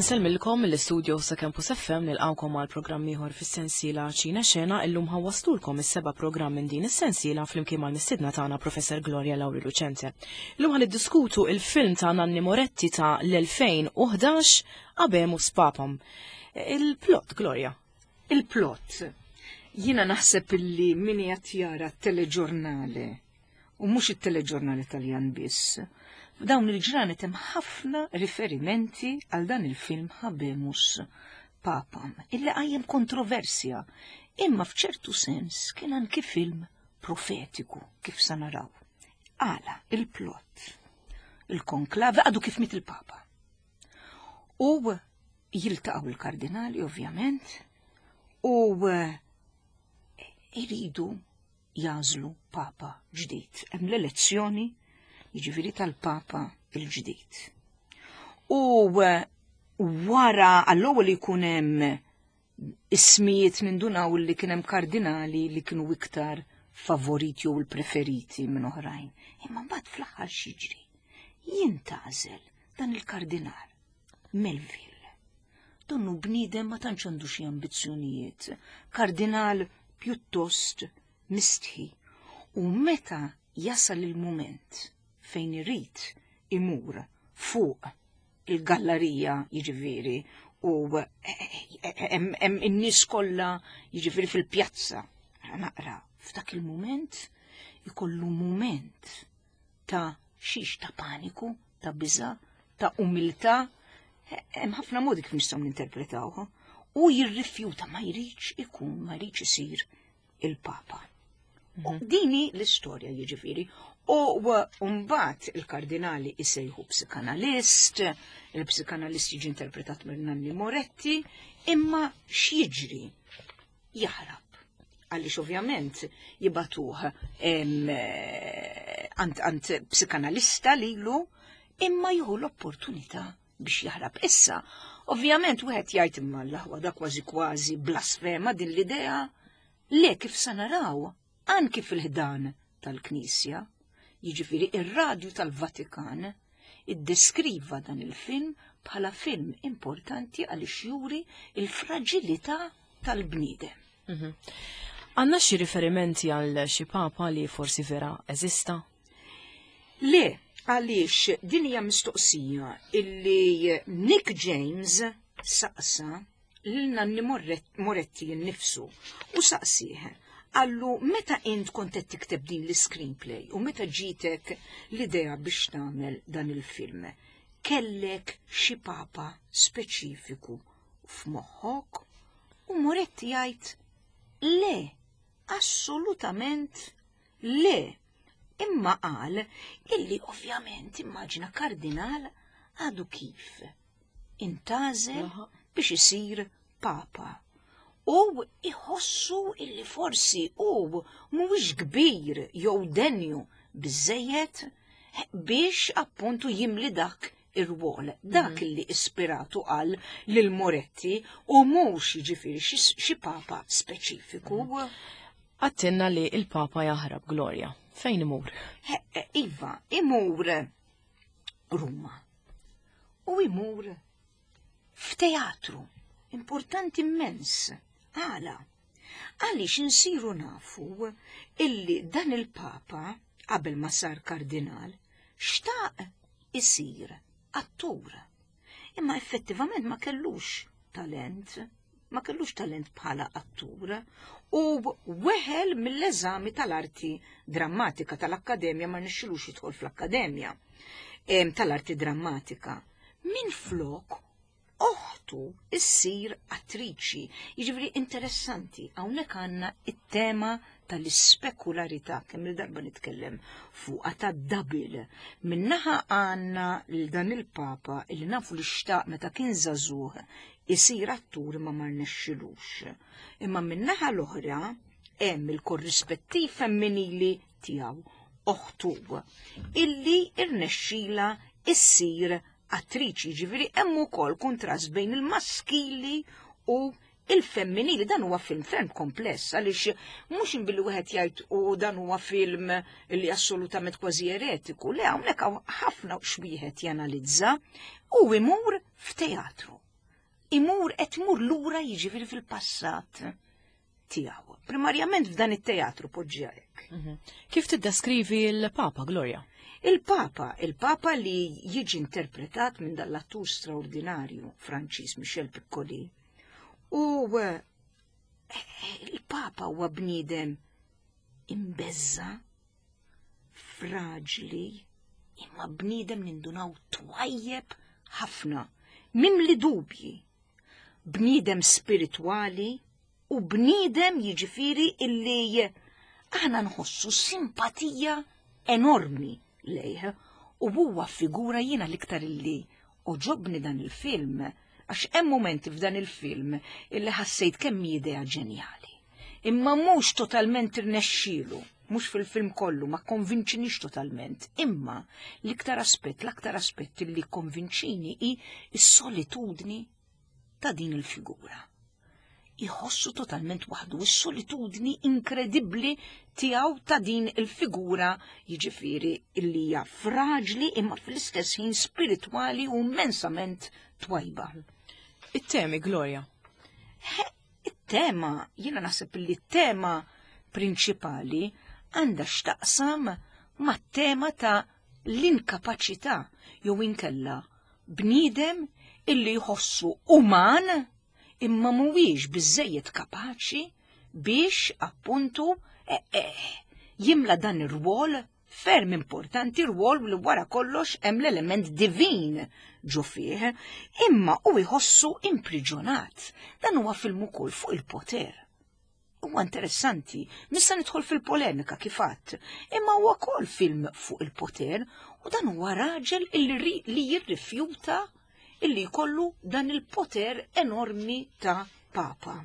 Insellmilkom mill-istudio sa Campus FM nilqawkom għal programm ieħor fis-sensiela Ċina Xena illum ħawwastulkom is-seba' programm minn din is-sensiela flimkien mal-mistiedna tagħna Professor Gloria Lauri Lucente. Illum ħan niddiskutu il-film ta' Nanni Moretti ta' l-2011 Abemus Papam. Il-plot, Gloria. Il-plot. Jiena naħseb illi min qed jara t-teleġurnale u mhux it-teleġurnali Taljan biss. F'dawn il-ġranet hemm ħafna riferimenti għal dan il-film Habemus Papam, illi qajjem kontroversja, imma f'ċertu sens kien anki film profetiku kif sa naraw. Għala il-plot. Il-konklave għadu kif mit il-Papa. U jiltaqgħu il-kardinali ovvjament u eh, iridu jagħżlu papa ġdid. Hemm l-elezzjoni jiġifieri tal-papa il-ġdid. U eh, wara għall-ewwel jkun hemm ismijiet nindunaw li kien hemm kardinali li kienu iktar favoriti jew il-preferiti minn oħrajn. Imma mbagħad fl-aħħar xiġri. Jintgħażel dan il-kardinal Melville. Donnu bniedem ma tantx għandu xi ambizzjonijiet, kardinal pjuttost mistħi. U meta jasal il-mument fejn irid imur fuq il-gallarija jiġifieri u hemm in-nies kollha jiġifieri fil-pjazza. Naqra, f'dak il-mument ikollu mument ta' xiex ta' paniku, ta' biża, ta' umiltà, hemm ħafna modi kif nistgħu ninterpretawha, u jirrifjuta ma jridx ikun, ma jridx isir il-Papa. Mhm. Dini l-istorja jiġifieri. U mbagħad il-kardinali isejħu psikanalist, il-psikanalist jiġi interpretat minn Nanni Moretti, imma x'jiġri? Jaħrab. Għaliex ovvjament jibatuh għand psikanalista lilu, imma jieħu l-opportunità biex jaħrab. Issa, ovvjament wieħed jgħid imma l-aħwa da kważi kważi blasfema din l-idea, le kif sa naraw anki fil-ħdan tal-Knisja, jiġifieri ir-radju tal-Vatikan iddeskriva dan il-film bħala film importanti għaliex juri il-fraġilità tal-bniedem. Mhm. Għandna xi riferimenti għal xi papa li forsi vera eżista? Le, għaliex din hija mistoqsija illi Nick James saqsa lil Nanni Moretti nnifsu u saqsih għallu meta int kont qed tikteb din l-screenplay u meta ġitek l-idea biex tagħmel dan il-film, kellek xi papa speċifiku f'moħħok? U Moretti jgħid le, assolutament le. Imma qal illi ovvjament immaġina kardinal għadu kif intgħażel biex isir papa. U iħossu illi forsi hu mhuwiex kbir jew denju biżejjed biex appuntu jimli dak ir-rwol. Dak mhm. li ispiratu qal lil Moretti u mhux jiġifieri xi papa speċifiku. Mhm. Għattinna li il-papa jaħrab Gloria. Fejn imur? Iva, imur Ruma. U imur f'teatru importanti immens. Għala? Għaliex insiru nafu illi dan il-Papa qabel ma sar kardinal xtaq isir attur. Imma effettivament ma kellux talent, ma kellux talent bħala attur u weħel mill-eżami tal-arti drammatika tal-akkademja ma nixxilux jidħol fl-akkademja tal-arti drammatika. Min flok oħtu issir attriċi. Jiġifieri interessanti, hawnhekk għandna it-tema tal-ispekularità, kemm il-darba nitkellem fuqha ta' double. Minnaħa għandna lil dan il-Papa li nafu li xtaq meta kien żagħżugħ isir attur ma ma rnexxilux. Imma minnaħa l-oħra hemm il-korrispettiv femminili tiegħu oħtu illi irnexxila issir attriċi, ġifieri hemm ukoll kuntrast bejn il-maskili u il-femminili. Dan huwa film ferm kompless għaliex mhux billi wieħed jgħid u dan huwa film li assolutament kważi eretiku, le hawnhekk hawn ħafna x'wieħed janalizza u imur f'teatru. Imur qed imur lura jiġifieri fil-passat tiegħu. Primarjament f'dan it-teatru poġġiha hekk. Kif tiddeskrivi l-Papa, Gloria? Il-Papa, il-Papa li jiġi interpretat minn dal-attur straordinarju Franċiż Michel Piccoli. U eh, il-Papa huwa bniedem imbeżza, fraġli, imma bniedem nindunaw twajjeb ħafna, mimli dubji, bniedem spiritwali u bniedem jiġifieri illi aħna nħossu simpatija enormi lejh u huwa figura jiena l-iktar illi oġobni dan il-film għax hemm momenti f'dan il-film illi ħassejt kemm hi idea ġenjali. Imma mhux totalment irnexxielu, mhux fil-film kollu, ma konvinċinix totalment, imma l-iktar aspett, l-aktar aspett illi konvinċini hi s-solitudni ta' din il-figura. Iħossu totalment waħdu, is-solitudni inkredibbli tiegħu ta' din il-figura jiġifieri illi hija fraġli imma fl-istess ħin spiritwali u immensament twajba. It-temi, Gloria. It-tema, jiena naħseb li t-tema prinċipali għandha x'taqsam mat-tema ta' l-inkapaċità jew inkella bniedem illi jħossu uman imma mhuwiex biżejjed kapaċi biex appuntu eh, eh, jimla dan ir-rwol ferm importanti rwol li wara kollox hemm l-element divin ġo fih, imma u jħossu impriġonat. Dan huwa film ukoll fuq il-poter. Huwa interessanti, nista' nidħol fil-polemika kif għadt, imma huwa wkoll film fuq il-poter u dan huwa raġel li jirrifjuta illi jkollu dan il-poter enormi ta' papa.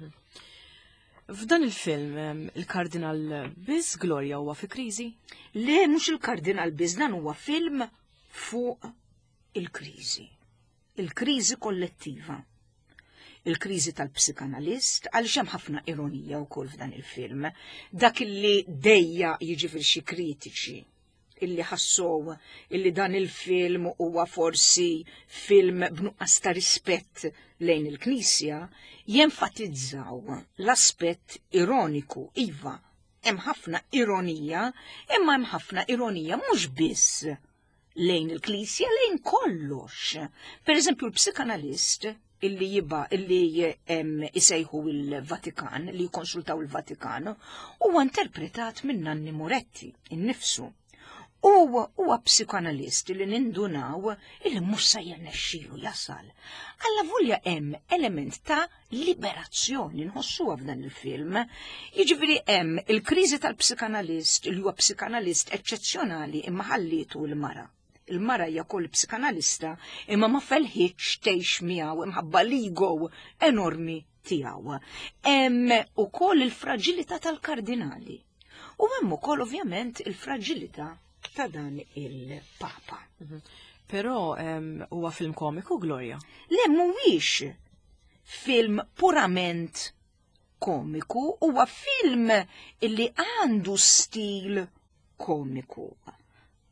F'dan il-film, il-Kardinal biss Gloria huwa fi kriżi? Le, mhux il-Kardinal biss, dan huwa film fuq il-kriżi. Il-kriżi kollettiva. Il-kriżi tal-psikanalist, għaliex hemm ħafna ironija wkoll f'dan il-film. Dak illi dejja jiġifieri xi kritiċi illi ħassow illi dan il-film huwa forsi film b'nuqqas ta' rispett lejn il-Knisja, jenfatizzaw l-aspett ironiku, iva, hemm ħafna ironija, imma hemm ħafna ironija mhux biss lejn il-Knisja, lejn kollox. Per eżempju, l-psikanalist illi jiba illi isejħu il-Vatikan, li jkonsultaw il-Vatikan, huwa interpretat minn Nanni Moretti innifsu. U huwa psikanalist li nindunaw illi mhux se jirnexxilu jasal. Alla volja hemm element ta' liberazzjoni nħossuha f'dan il-film. Jiġifieri hemm il-kriżi tal-psikanalist li huwa psikanalist eċċezzjonali imma ħallietu l-mara. Il-mara hija wkoll psikanalista imma ma felħitx tgħix miegħu imħabba l-ego enormi tiegħu. Hemm ukoll il-fraġilità tal-kardinali. U hemm ukoll ovvjament il-fraġilità ta' dan il-Papa. Mhm. Però huwa film komiku, Gloria? Le mhuwiex film purament komiku, huwa film illi għandu stil komiku.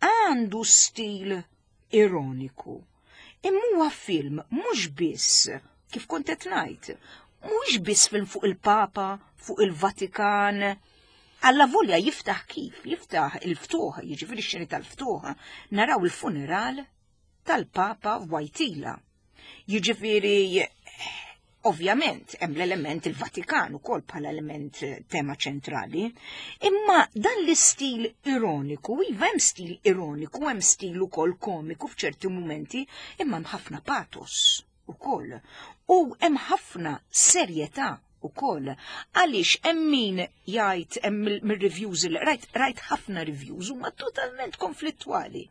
Għandu stil ironiku. Imma huwa film mhux biss, kif kont qed ngħid, mhux biss film fuq il-Papa, fuq il-Vatikan. Alla volja jiftaħ kif, jiftaħ il-ftuħ, jiġifieri x-xeni tal-ftuħ, naraw il-funeral tal-Papa Wojtyla. Jiġifieri ovvjament hemm l-element il-Vatikan ukoll bħala element eh, tema ċentrali, imma dan l-istil ironiku, iva hemm stil ironiku, hemm stil ukoll komiku f'ċerti mumenti, imma hemm ħafna patos ukoll. U hemm ħafna serjetà ukoll. Għaliex hemm min jgħid hemm mir-reviews li rajt rajt ħafna reviews huma totalment konflittwali.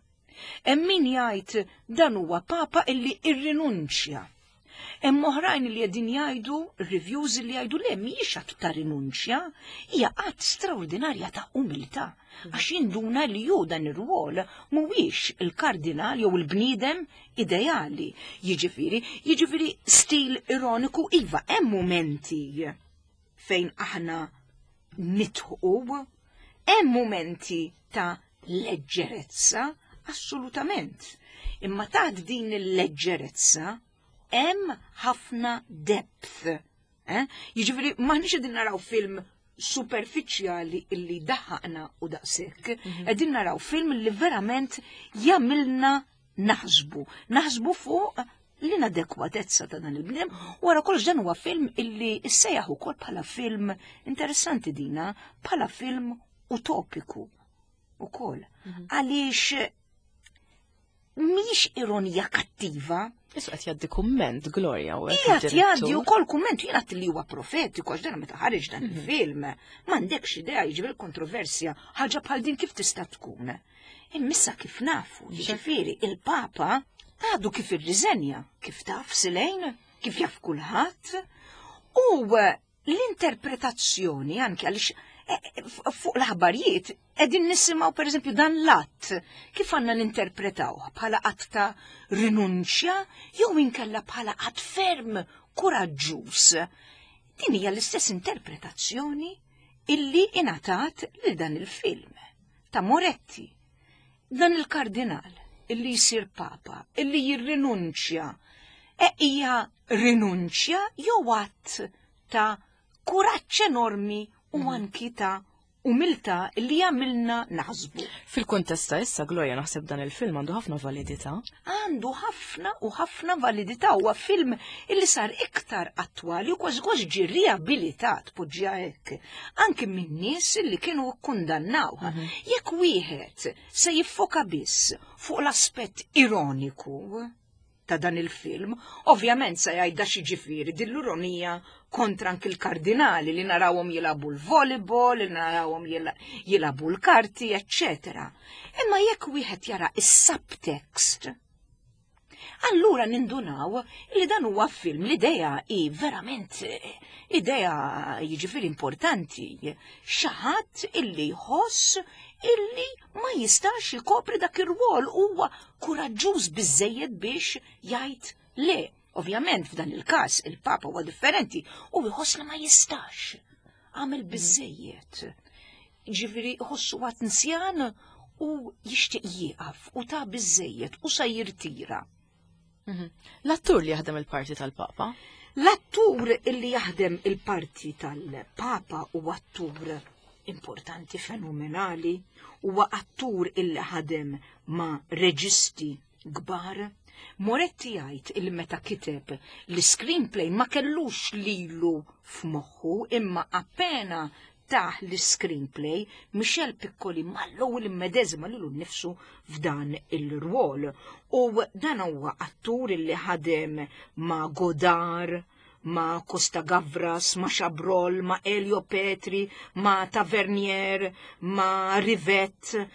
Hemm min jgħid dan huwa papa illi irrinunċja. Hemm oħrajn li qegħdin jgħidu reviews li jgħidu le mhijiex att ta' rinunċja, hija att straordinarja ta' umiltà għax jinduna li hu dan ir-rwol mhuwiex il-kardinal jew il-bniedem ideali. Jiġifieri, jiġifieri stil ironiku iva hemm mumenti fejn aħna nitħu, hemm mumenti ta' leġġerezza, assolutament. Imma taħt din il-leġġerezza. Hemm ħafna depth. Eh? Jiġifieri m'aħniex qegħdin naraw film superfiċjali illi daħaqna u daqshekk. Qegħdin naraw film li verament jagħmilna naħsbu. Naħsbu fuq l-inadekwatezza ta' dan il-bniedem. Wara kollox dan huwa film illi issejjaħ ukoll bħala film interessanti dina, bħala film utopiku ukoll. Għaliex mhix ironija kattiva. Issa qed jgħaddi kumment, Gloria. u Qiegħed jgħaddi wkoll kumment jien għad li huwa profetiku għax dan meta ħareġ dan il-film m'għandekx idea jiġifieri kontroversja ħaġa bħal din kif tista' tkun. Immissa kif nafu, jiġifieri il-Papa għadu kif irriżenja, kif taf Silejn, kif jaf kulħadd, u l-interpretazzjoni anke għaliex eh, eh, fuq l-aħbarijiet qegħdin nisimgħu pereżempju dan l-att kif għandna ninterpretaw bħala att ta' rinunċja jew inkella bħala att ferm kuraġġuż. Din hija l-istess interpretazzjoni illi ingħatat lil dan il-film ta' Moretti. Dan il-kardinal illi jsir papa, illi jirrinunċja, e hija rinunċja jew att ta' kuraġġ enormi u anki ta' umiltà li jagħmilna naħsbu. Fil-kuntest ta' issa, Gloria, naħseb dan il-film għandu ħafna validità. Għandu ħafna u ħafna validità, huwa film illi sar iktar attwali u kważi kważi ġie riabilitat, poġġiha hekk, anki minn nies illi kienu kkundannawh. Jekk wieħed se jiffoka biss fuq l-aspett ironiku ta' dan il-film, ovvjament se jgħid da x'jiġifieri din l-ironija kontra anki l-kardinali li narawhom jilagħbu l-volleyball, li narawhom jilagħbu l-karti, eċċetera. Imma jekk wieħed jara is-subtext, allura nindunaw li dan huwa film, l-idea hi verament idea jiġifieri importanti. Xi ħadd illi jħoss illi ma jistax jkopri dak ir-rwol, huwa kuraġġuż biżżejjed biex jgħid le. Ovvjament f'dan il-każ il-Papa huwa differenti u jħoss li ma jistax. Għamel biżżejjed. Ġifieri jħossu għad nsjan u jixtieq jieqaf u ta' biżżejjed u sa jirtira. L-attur li jaħdem il-parti tal-Papa? L-attur li jaħdem il-parti tal-Papa huwa attur importanti, fenomenali, huwa attur illi ħadem ma' reġisti kbar. Moretti jgħid illi meta kiteb l-screenplay ma kellux lilu f'moħħu, imma appena tah l-screenplay, Michel Piccoli mal-ewwel immedeżima lilu nnifsu f'dan il-rwol. U dan huwa attur illi ħadem ma' Godard, ma' Costa Gavras, ma' Chabrol, ma' Elio Petri, ma' Tavernier, ma' Rivette,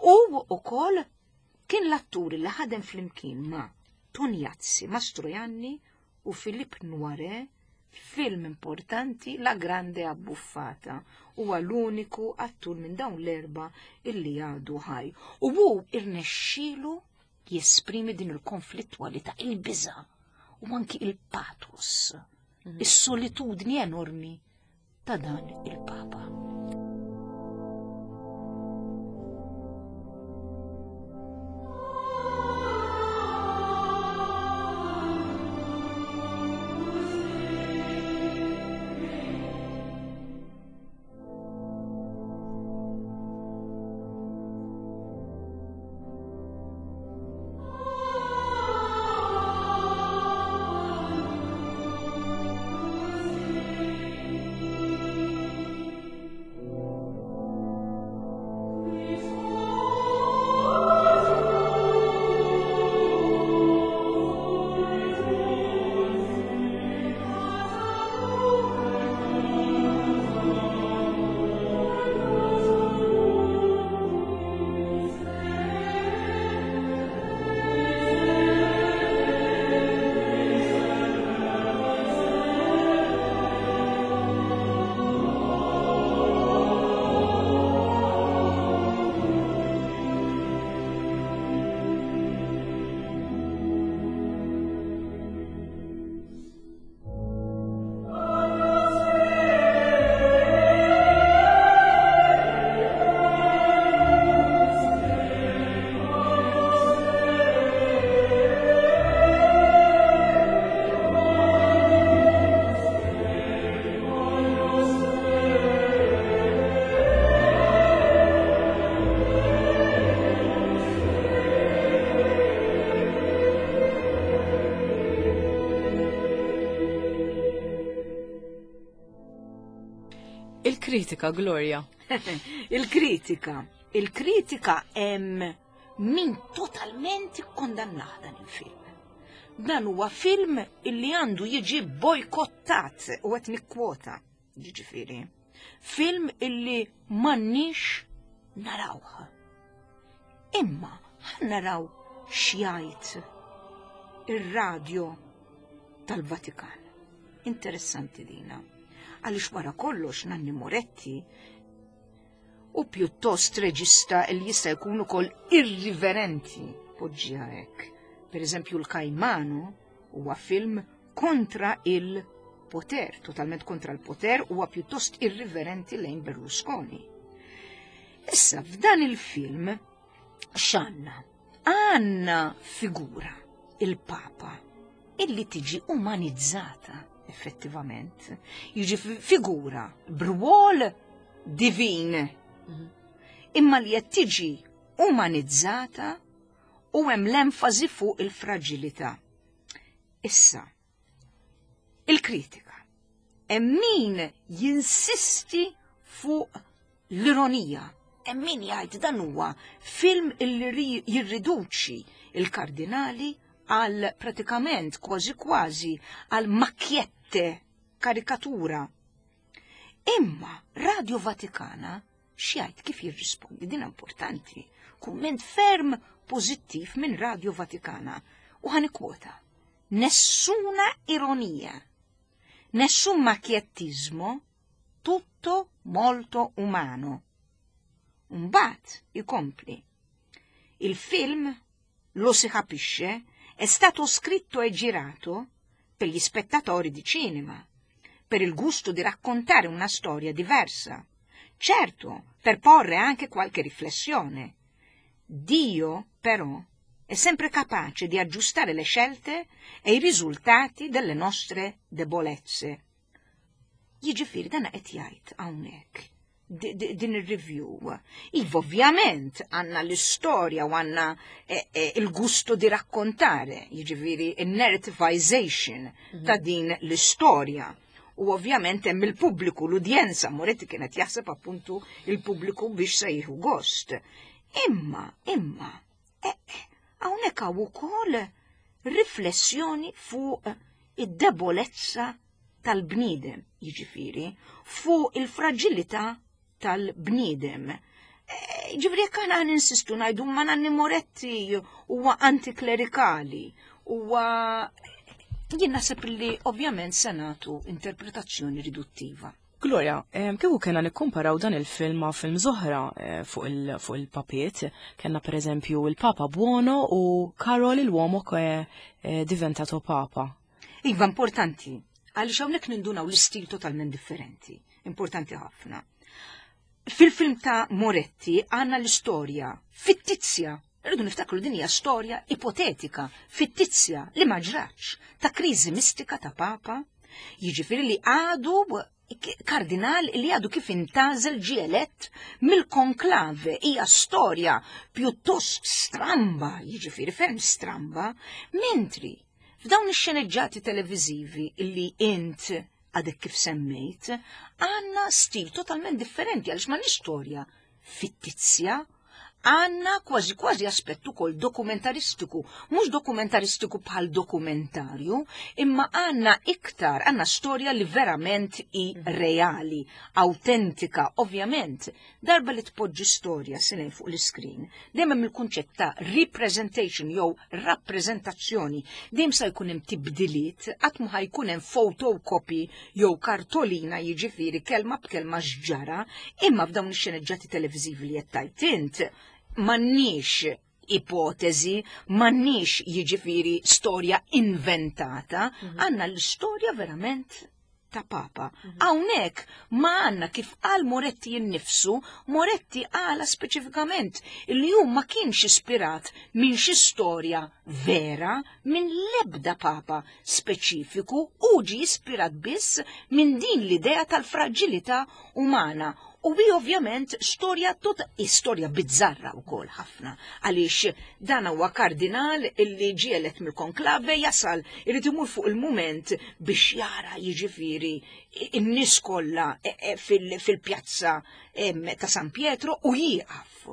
u wkoll kien l-attur li ħadem flimkien ma' Tognazzi, Mastroianni u Philippe Noiret f'film importanti La Grande Abbuffata. Huwa l-uniku attur minn dawn l-erba' illi għadu ħaj. U hu irnexxielu jesprimi din il-konflittwalità, il-biża' u anki il-pathos, is-solitudni enormi ta' dan il-Papa. Il-kritika, Gloria. Il-kritika. Il-kritika hemm min totalment ikkondannah dan il-film. Dan huwa film illi għandu jiġi bojkottat u qed nikkwota, jiġifieri. Film illi m'għandniex narawh. Imma ħa naraw x'jgħid ir-radjo tal-Vatikan. Interessanti dina. Għaliex wara kollox Nanni Moretti u pjuttost reġista li jista' jkun ukoll irriverenti poġġiha hekk. Per eżempju l-Kajmano huwa film kontra il-poter, totalment kontra l-poter, huwa pjuttost irriverenti lejn Berlusconi. Issa f'dan il-film x'għandna? Għandna figura, il-Papa, illi tiġi umanizzata effettivament. Jiġi figura b'rwol divin. Imma li qed tiġi umanizzata u hemm l-enfasi fuq il-fragilità. Issa, il-kritika. Hemm min jinsisti fuq l-ironija. Hemm min jgħid dan huwa film illi jirriduċi il-kardinali għal pratikament kważi kważi għal makjette karikatura. Imma Radio Vatikana x'jgħid kif jirrispondi din importanti. Kumment ferm pożittiv minn Radio Vatikana u ħa nikkwota. Nessuna ironia, nessun macchiettismo, tutto molto umano. Mbagħad ikompli. Il film, lo si capisce, è stato scritto e girato per gli spettatori di cinema, per il gusto di raccontare una storia diversa. Certo, per porre anche qualche riflessione. Dio, però, è sempre capace di aggiustare le scelte e i risultati delle nostre debolezze. Jiġifieri dan qed jgħid hawnhekk din ir-review. Iva ovvjament għandna l-istorja u għandna eh, eh, il-gusto di raccontare, jiġifieri il-narrativization ta' din l-istorja. U ovvjament hemm il-pubbliku, l-udjenza, Moretti kienet jaħseb appuntu il-pubbliku biex se jieħu gost. Imma, imma, eh, hawnhekk hawn ukoll riflessjoni fuq id-debolezza tal-bniedem, jiġifieri, fuq il-fragilità tal-bniedem. Ġifieri jekk aħna ninsistu ngħidu ma Nanni Moretti huwa antiklerikali, huwa jien naħseb li ovvjament se nagħtu interpretazzjoni riduttiva. Gloria, kieku kena nikkumparaw dan il-film ma' film oħra fuq il-papiet, kena per eżempju il-Papa Buono u Karol l'uomo che è diventato Papa. Iva, importanti, għaliex hawnhekk nindunaw l-istil totalment differenti, importanti ħafna. Fil-film ta' Moretti għandna l-istorja fittizja, rridu niftakru din hija storja ipotetika, fittizja li ma ġratx, ta' kriżi mistika ta' Papa, jiġifieri li għadu kardinal li għadu kif intgħażel ġie elett mill-konklave. Hija storja pjuttost stramba, jiġifieri ferm stramba, mentri f'dawn ix-xeneġġati televiżivi li int għadek kif semmejt, għandna stil totalment differenti għaliex ma storja fittizja, għandna kważi kważi aspettu kol dokumentaristiku, mhux dokumentaristiku bħal dokumentarju, imma għandna iktar, għandna storja li verament i reali, autentika, ovvjament. Darba li tpoġġi storja sinin fuq l-iskrin, dejjem hemm il-kunċett ta' representation jew rappreżentazzjoni, dejjem sa jkun hemm tibdiliet, qatt ma jkun hemm photocopy jew kartolina jiġifieri kelma b'kelma x'ġara, imma f'dawn ix-xeneġġati televiżivi li qed tgħid int m'għandniex ipotezi, m'għandniex jiġifieri storja inventata, għandna l-istorja verament ta' Papa. Hawnhekk ma għandna kif qal Moretti innifsu, Moretti qala speċifikament li hu ma kienx ispirat minn xi storja vera, minn lebda Papa speċifiku, u ġi ispirat biss minn din l-idea tal-fragilità umana. U hi ovvjament storja tot storja bizzarra wkoll ħafna għaliex dan huwa kardinal illi ġielet mill-konklave jasal irid imur fuq il-mument biex jara jiġifieri in-nies kollha e, e, fil-pjazza ta' San Pietro u jieqaf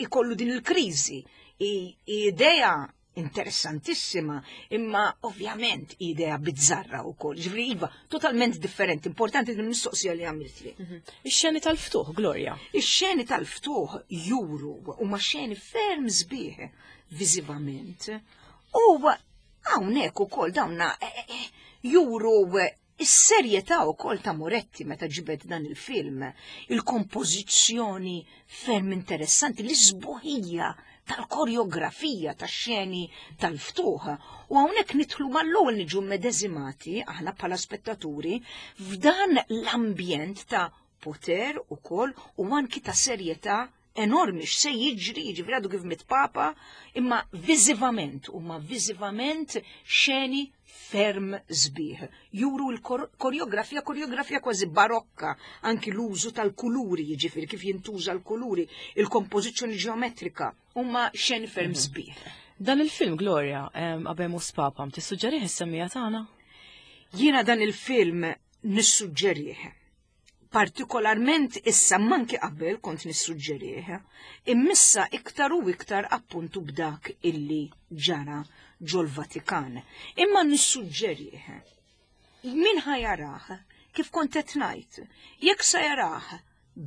ikollu din il-kriżi idea interessantissima, imma ovvjament idea bizzarra u kol. Ġifri, iva, totalment differenti, importanti din mistoqsija li għamiltli. Mhm. Ix-xeni tal-ftuħ, Gloria. Ix-xeni tal-ftuħ juru u ma xeni ferm sbieħ viżivament. U hawnhekk ukoll dawna eh, eh, eh, juru Is-serjetà wkoll ta' Moretti meta ġibed dan il-film, il-kompożizzjoni ferm interessanti, l-isbuħija tal-koreografija tax-xeni tal-ftuħ. U hawnhekk nidħlu mal-ewwel niġu medeżimati aħna bħala spettaturi f'dan l-ambjent ta' poter ukoll u anki ta' serjetà enormi x'se jiġri, jiġifieri għadu kif mit papa, imma viżivament, huma viżivament xeni ferm sbieħ. Juru l-koreografija, koreografija kważi barokka, anki l-użu tal-kuluri, jiġifieri kif jintuża l-kuluri, il-kompożizzjoni ġeometrika, huma xeni ferm mhm. sbieħ. Dan il-film, Gloria, Abemus Papam, tissuġġerih is-semmija tagħna? Jiena dan il-film nissuġġerih partikolarment issa manki qabel kont nissuġġerih, immissa iktar u iktar appuntu b'dak illi ġara ġol-Vatikan. Imma nissuġġerih. Min ħajarah, kif kont qed ngħid, jekk se jarah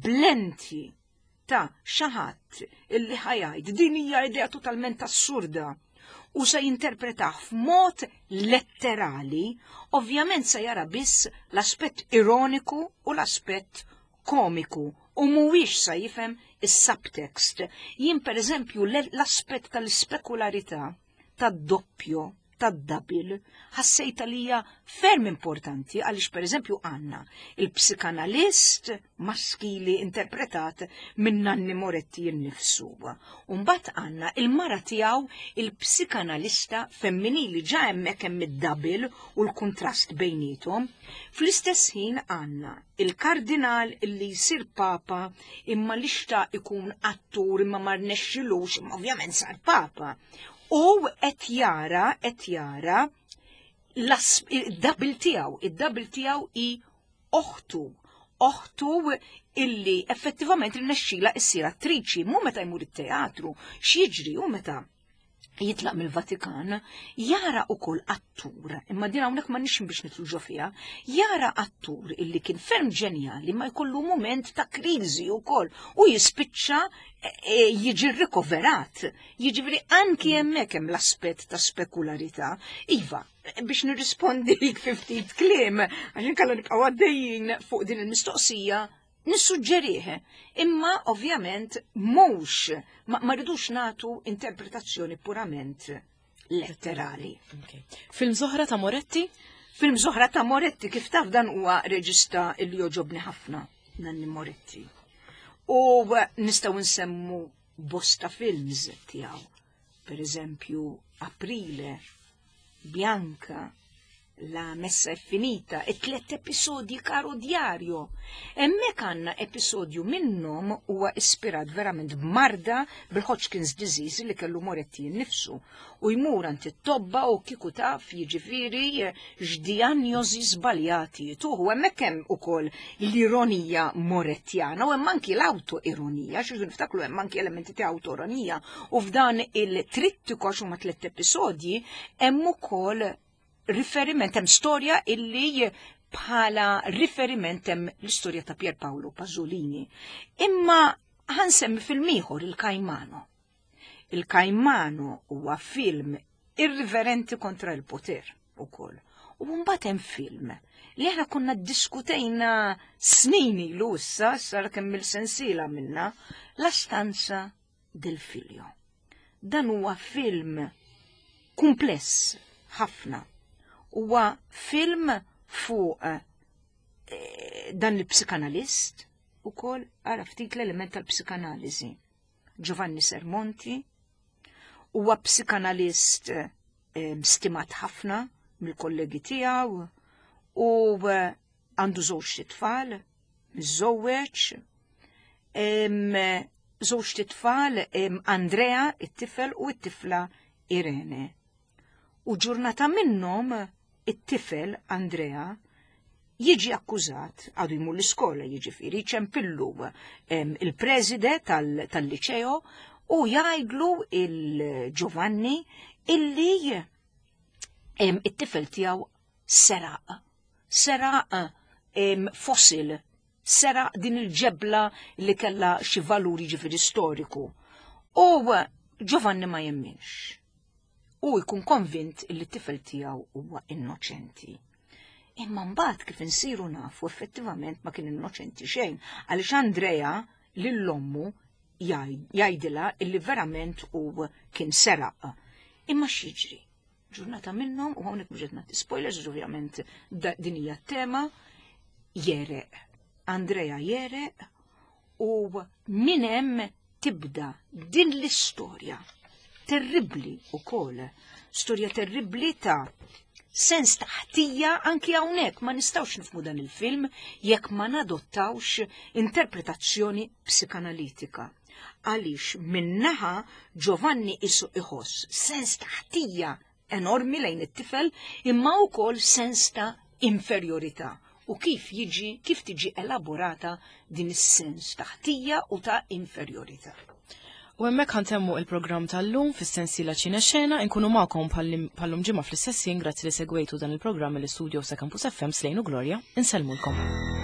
blenti ta' xi ħadd illi ħa jgħid din hija idea totalment assurda u se jinterpretah f'mod letterali, ovvjament se jara biss l-aspett ironiku u l-aspett komiku u mhuwiex se jifhem is-subtext. Jien pereżempju l-aspett tal-ispekularità tad-doppjo, tad-double, ħassejtha li hija ferm importanti għaliex pereżempju għandna il-psikanalist maskili interpretat minn Nanni Moretti nnifsu. U mbagħad għandna il-mara tiegħu il-psikanalista femminili ġa hemmhekk hemm id-double u l-kuntrast bejniethom. Fl-istess ħin għandna il-kardinal illi jsir papa imma li xtaq ikun attur imma ma rnexxilux, imma ovvjament sar papa. U qed jara, qed jara id-double tiegħu, id-double tiegħu hi oħtu, oħtu illi effettivament rnexxila issir attriċi, mhu meta jmur it-teatru, x'jiġri u meta jitlaq mill-Vatikan, jara ukoll attur, imma din hawnhekk ma nix biex nitlu ġo fiha, jara attur illi kien ferm ġenjali ma jkollu mument ta' kriżi wkoll u jispiċċa e, e, jiġi rikoverat. Jiġifieri anki hemmhekk hemm l-aspett ta' spekularità. Iva, biex nirrispondi fi ftit kliem, għax inkella nibqgħu għaddejjin fuq din il-mistoqsija, nissuġġerih, imma ovvjament mhux ma, ma rridux nagħtu interpretazzjoni purament letterali. Okay. Film Zohra ta' Moretti? Film Zohra ta' Moretti, kif taf dan huwa reġista li joġobni ħafna, Nanni Moretti. U nistgħu nsemmu bosta films tiegħu. Per eżempju, Aprile, Bianca, La messa è finita, e tlet episodji Caro Diario. Hemmhekk għandna episodju minnhom huwa ispirat verament b'marda bil-Hodgkin's disease li kellu Moretti nnifsu u jmur għand it-tobba u kieku taf jiġifieri x'dijanjosi żbaljati jtuh. U hemmhekk hemm ukoll l-ironija Morettjana u hemm anki l-awtoironija, xi niftakru hemm anki elementi ta' awtoironija u f'dan il-trittiku għax huma tliet episodji hemm ukoll riferiment hemm storja illi bħala riferiment hemm l-istorja ta' Pier Paolo Pasolini. Imma ħansemmi film ieħor il-Kajmano. Il-Kajmano huwa film irriverenti kontra l-poter ukoll. U mbagħad hemm film li aħna konna ddiskutejna snin ilu issa, sar kemm il-sensiela minna, La stanza del figlio. Dan huwa film kumpless ħafna. Huwa film fuq eh, dan il-psikanalist ukoll ara ftit l-element tal-psikanaliżi. Giovanni Sermonti huwa psikanalist eh, stimat ħafna mill-kollegi tiegħu u eh, għandu żewġ tfal. Miżżewweġ, żewġ titfal, Andrea, it-tifel u t-tifla Irene. U ġurnata minnhom it-tifel Andrea jiġi akkużat, għadu jmur l-iskola jiġifieri, ċempillu il-preside tal-liċeo u jgħidlu il-Giovanni illi it-tifel tiegħu seraq. Seraq fossil, seraq din il-ġebla li kella xi valuri ġifieri storiku. U Giovanni ma jemminx. U jkun konvint li t-tifel tiegħu huwa innoċenti. Imma mbagħad kif insiru nafu effettivament ma kien innoċenti xejn għaliex Andrea lil ommu jgħidilha illi verament u kien seraq. Imma x'jiġri? Ġurnata minnhom u hawnhekk mhux qed nagħti spoilers ovvjament din hija t-tema jereq. Andrea jereq u minn hemm tibda din l-istorja terribbli ukoll, storja terribbli ta' sens ta' ħtija anki hawnhekk ma nistgħux nifhmu dan il-film jekk ma nadottawx interpretazzjoni psikanalitika. Għaliex minnaħa Giovanni isu iħoss sens ta' ħtija enormi lejn it-tifel imma wkoll sens ta' inferjorità u kif jiġi kif tiġi elaborata din is-sens ta' ħtija u ta' inferjorità. U hemmhekk ħantemmu il-programm tal-lum fis-sensiela Ċina Xena inkunu magħkom bħallum ġimgħa fl-istess ħin grazzi li segwejtu dan il-programm mill-istudio sa Campus FM Slejn u Gloria. Insellmulkom.